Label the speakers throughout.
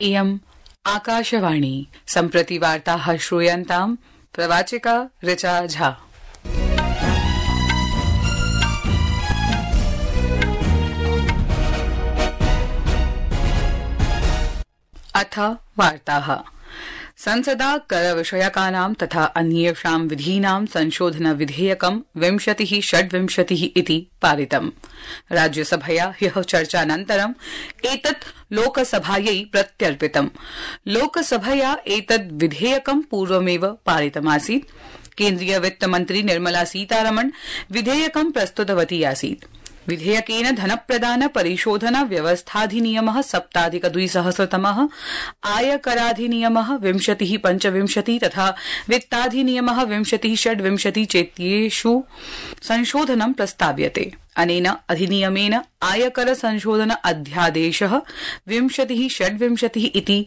Speaker 1: इयम् आकाशवाणी सम्प्रति वार्ताः श्रूयन्ताम् प्रवाचिका ऋचा झा। अथ वार्ताः। संसदा कर विषयकानां तथा अन्येषां विधीनां संशोधन विधेयकं 2026 इति पारितम्। राज्यसभया ह्यः चर्चानन्तरं एतत् लोकसभायै प्रत्यर्पितम्। लोकसभया एतद् विधेयकं पूर्वमेव पारितमासीत्। केन्द्रीय वित्तमन्त्री निर्मला सीतारमण विधेयकं प्रस्तुतवती आसीत्। विधेयकेन धनप्रदान परिशोधन व्यवस्थाधिनियमः 2017 आयकराधिनियमः 2025 तथा वित्ताधिनियमः 2026 चेत्येषु संशोधनं प्रस्ताव्यते। अनेन अधिनियमेन आयकर संशोधन अध्यादेशः 2026 इति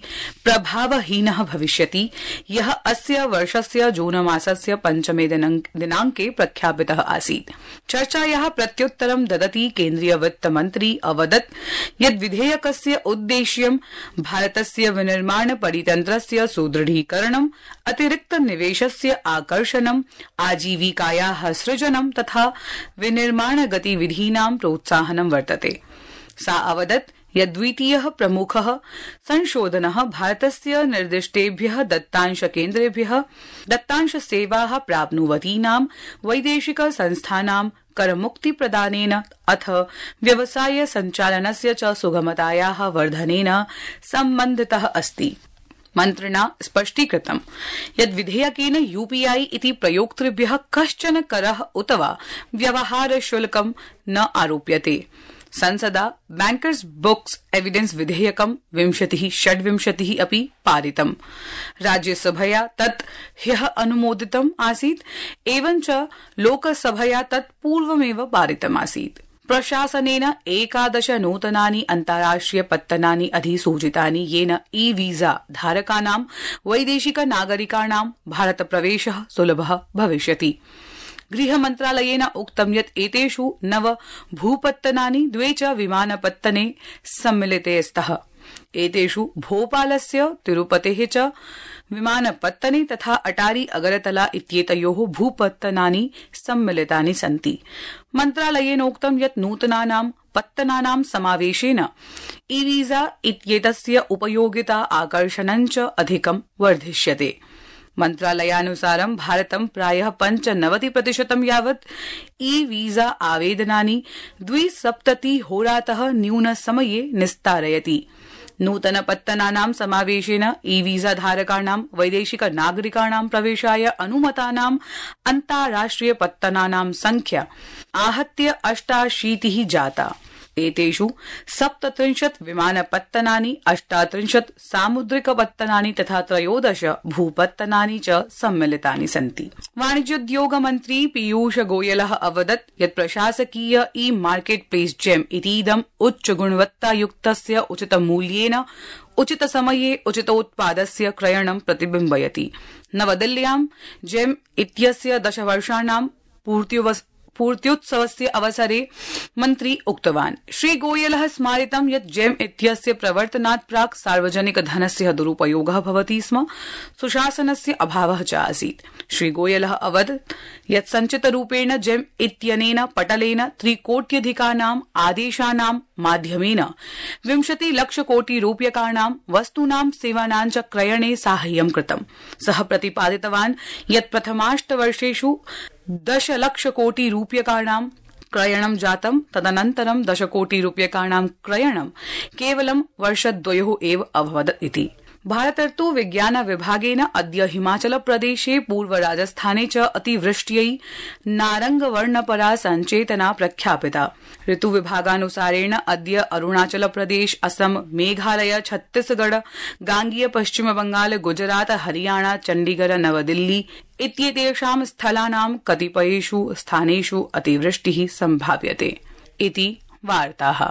Speaker 1: प्रभावहीनः भविष्यति, यः अस्य वर्षस्य जून मासस्य 5 दिनाङ्के प्रख्यापितः आसीत्। चर्चायाः प्रत्युत्तरं ददति केन्द्रीय वित्तमन्त्री अवदत् यत् विधेयकस्य उद्देश्यं भारतस्य विनिर्माण परितन्त्रस्य सुदृढीकरणं, अतिरिक्त निवेशस्य आकर्षणं, आजीविकायाः सृजनं तथा विनिर्माण गतिविधीनां प्रोत्साहनं वर्तते। सा अवदत् यत् द्वितीयः प्रमुखः संशोधनः भारतस्य निर्दिष्टेभ्यः दत्तांशकेन्द्रेभ्यः दत्तांशसेवाः प्राप्नुवतीनां वैदेशिक संस्थानां करमुक्तिप्रदानेन अथ व्यवसाय सञ्चालनस्य च सुगमतायाः वर्धनेन सम्बन्धितः अस्ति। मन्त्रिणा स्पष्टीकृतं यत् विधेयकेन यूपीआई इति प्रयोक्तृभ्यः कश्चन करः उत वा व्यवहार शुल्कं न आरोप्यते। संसदा बैंकर्स बुक्स एविडेंस विधेयकं 2026 अपि पारितम्। राज्यसभया तत् ह्यः अनुमोदितम् आसीत्, एवञ्च लोकसभया तत् पूर्वमेव पारितमासीत्। प्रशासनेन 11 नूतनानि अन्ताराष्ट्रिय पत्तनानि अधिसूचितानि, येन ई वीजा धारकानां वैदेशिक नागरिकाणां भारतप्रवेशः सुलभः भविष्यति। गृहमन्त्रालयेन उक्तं यत् एतेषु 9 भूपत्तनानि 2 च विमानपत्तने सम्मिलिते स्तः। एतेषु भोपालस्य, तिरुपतेः च विमानपत्तने तथा अटारी अगरतला इत्येतयोः भूपत्तनानि सम्मिलितानि सन्ति। मन्त्रालयेनोक्तं यत् नूतनानां पत्तनानां समावेशेन ई वीजा इत्येतस्य उपयोगिता आकर्षणं च अधिकं वर्धिष्यते। मन्त्रालयानुसारं भारतं प्रायः 95% यावत् ई वीजा आवेदनानि 270 होरातः न्यूनसमये निस्तारयति। नूतन पत्तनानां समावेशेन ई वीजा धारकाणां वैदेशिक नागरिकाणां प्रवेशाय अनुमतानां अन्ताराष्ट्रिय पत्तनानां संख्या आहत्य 88 जाता। एतेषु 37 विमानपत्तनानि, 38 सामुद्रिकपत्तनानि तथा 13 भूपत्तनानि च सम्मिलितानि सन्ति। वाणिज्योद्योग मन्त्री पीयूष गोयलः अवदत् यत् प्रशासकीय ई मार्केट प्लेस जेम इतीदम् उच्च गुणवत्तायुक्तस्य उचितमूल्येन उचितसमये उचितोत्पादस्य क्रयणं प्रतिबिम्बयति। नवदिल्ल्यां जेम इत्यस्य 10 वर्षाणां पूर्त्युत्सवस्य अवसरे मन्त्री उक्तवान्। श्री गोयलः स्मारितं यत् जेम इत्यस्य प्रवर्तनात् प्राक् सार्वजनिक धनस्य दुरुपयोगः भवति स्म, सुशासनस्य अभावः च आसीत्। श्री गोयलः अवदत् यत् सञ्चितरूपेण जेम इत्यनेन पटलेन 3 कोट्यधिकानां आदेशानां माध्यमेन 20 लक्ष कोटि रूप्यकाणां वस्तूनां सेवानां च क्रयणे साहाय्यं कृतम्। सः प्रतिपादितवान् यत् प्रथमाष्टवर्षेषु 10 लक्ष कोटि रूप्यकाणां क्रयणं जातं, तदनन्तरं 10 कोटि रूप्यकाणां क्रयणं केवलं वर्षद्वयोः एव अभवत् इति। भारतर्तु विज्ञान विभागेन अद्य हिमाचल प्रदेशे, पूर्व राजस्थाने च अतिवृष्ट्यै नारंगवर्णपरा सञ्चेतना प्रख्यापिता। ऋतु विभागानुसारेण अद्य अरुणाचल प्रदेश, असम, मेघालय, छत्तीसगढ़, गांगेय पश्चिम बंगाल, गुजरात, हरियाणा, चण्डीगढ़, नवदिल्ली इत्येतेषां स्थलानां कतिपयेषु स्थानेषु अतिवृष्टिः सम्भाव्यते इति वार्ताः।